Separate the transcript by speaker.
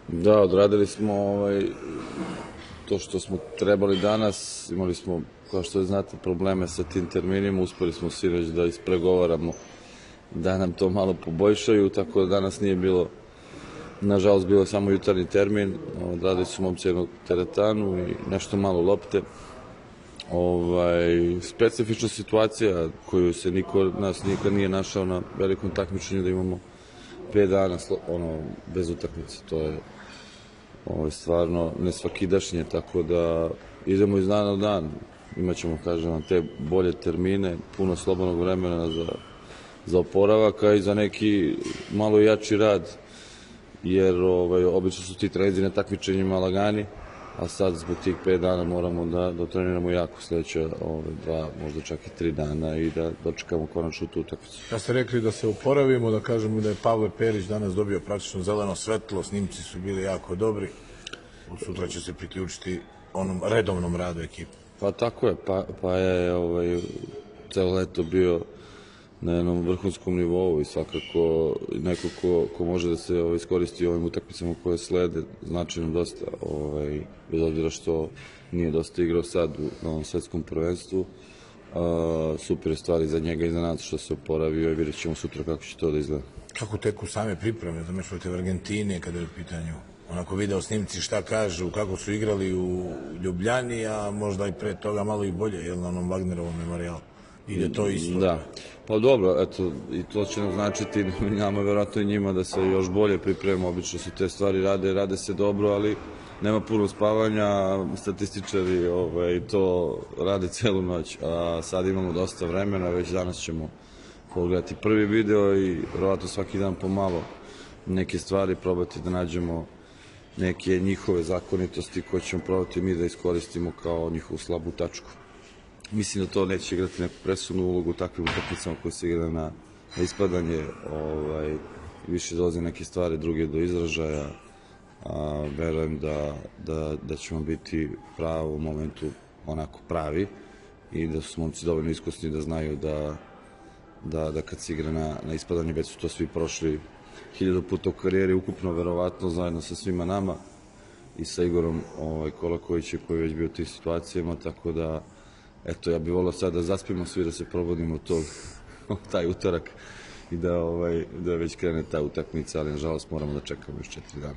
Speaker 1: Da, odradili smo to što smo trebali danas. Imali smo, kao što znate, probleme sa tim terminima. Uspeli smo sinoć da ispregovaramo da nam to malo poboljšaju, tako da danas nije bilo, nažalost, bilo samo jutarnji termin. Odradili su momci jednu teretanu i nešto malo lopte. Specifična situacija koju se niko od nas nikad nije našao na velikom takmičenju, da imamo 5 dana bez utakmice. To je stvarno nesvakidašnje, tako da idemo iz dana u dan. Imaćemo, kažem vam, te bolje termine, puno slobodnog vremena za oporavak, a i za neki malo jači rad, jer obično su ti treninzi na takmičenjima lagani, a sad zbog tih 5 dana moramo da treniramo jako sledeće 2, možda čak i 3 dana i da dočekamo konačno tu utakmicu.
Speaker 2: Da ste rekli da se oporavimo, da kažemo da je Pavle Perić danas dobio praktično zeleno svetlo, snimci su bili jako dobri, od sutra će se priključiti onom redovnom radu ekipe.
Speaker 1: Pa tako je, pa je celo leto bio na jednom vrhunskom nivou i svakako neko ko može da se iskoristi ovim utakmicama koje slede, znači nam dosta, bez obzira što nije dosta igrao sad na ovom svetskom prvenstvu. Super je stvari za njega i za nas što se oporavio i vidjet ćemo sutra kako će to da izgleda.
Speaker 2: Kako teku same pripreme za meč protiv Argentine kada je u pitanju onako video snimci, šta kažu, kako su igrali u Ljubljani, a možda i pre toga malo i bolje, na onom Wagnerovom memorijalu? Ide to isto?
Speaker 1: Da, pa dobro, eto, i to će nam značiti nama, verovatno i njima, da se još bolje pripremimo. Obično se te stvari rade se dobro, ali nema puno spavanja, statističari to rade celu noć, a sad imamo dosta vremena, već danas ćemo pogledati prvi video i verovatno svaki dan pomalo neke stvari probati da nađemo neke njihove zakonitosti koje ćemo probati mi da iskoristimo kao njihovu slabu tačku. Mislim da to neće igrati neku presudnu ulogu u takvim utakmicama koje se igra na ispadanje, više dolaze neke stvari druge do izražaja. Verujem da ćemo biti pravo u momentu onako pravi i da su momci dovoljno iskusni da znaju da kad se igra na ispadanje, već su to svi prošli 1000 puta u karijeri, ukupno verovatno zajedno sa svima nama i sa Igorom Kolakovićem koji je već bio u tim situacijama, tako da eto, ja bih volao sad da zaspimo svi, da se probudimo taj utorak i da već krene ta utakmica, ali nažalost moramo da čekamo još 4 dana.